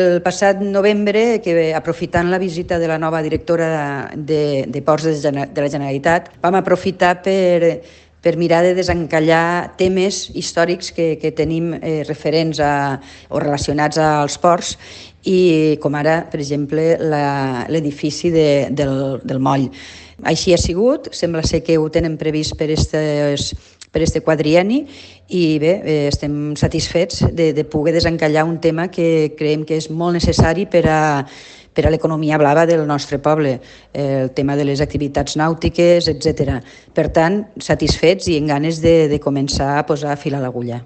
El passat novembre, que aprofitant la visita de la nova directora de Ports de la Generalitat, vam aprofitar per mirar de desencallar temes històrics que tenim referents o relacionats als ports, i com ara, per exemple, l'edifici del moll. Així ha sigut, sembla ser que ho tenen previst per este quadrienni, i bé, estem satisfets de poder desencallar un tema que creiem que és molt necessari per a l'economia blava del nostre poble, el tema de les activitats nàutiques, etc. Per tant, satisfets i amb ganes de començar a posar fil a l'agulla.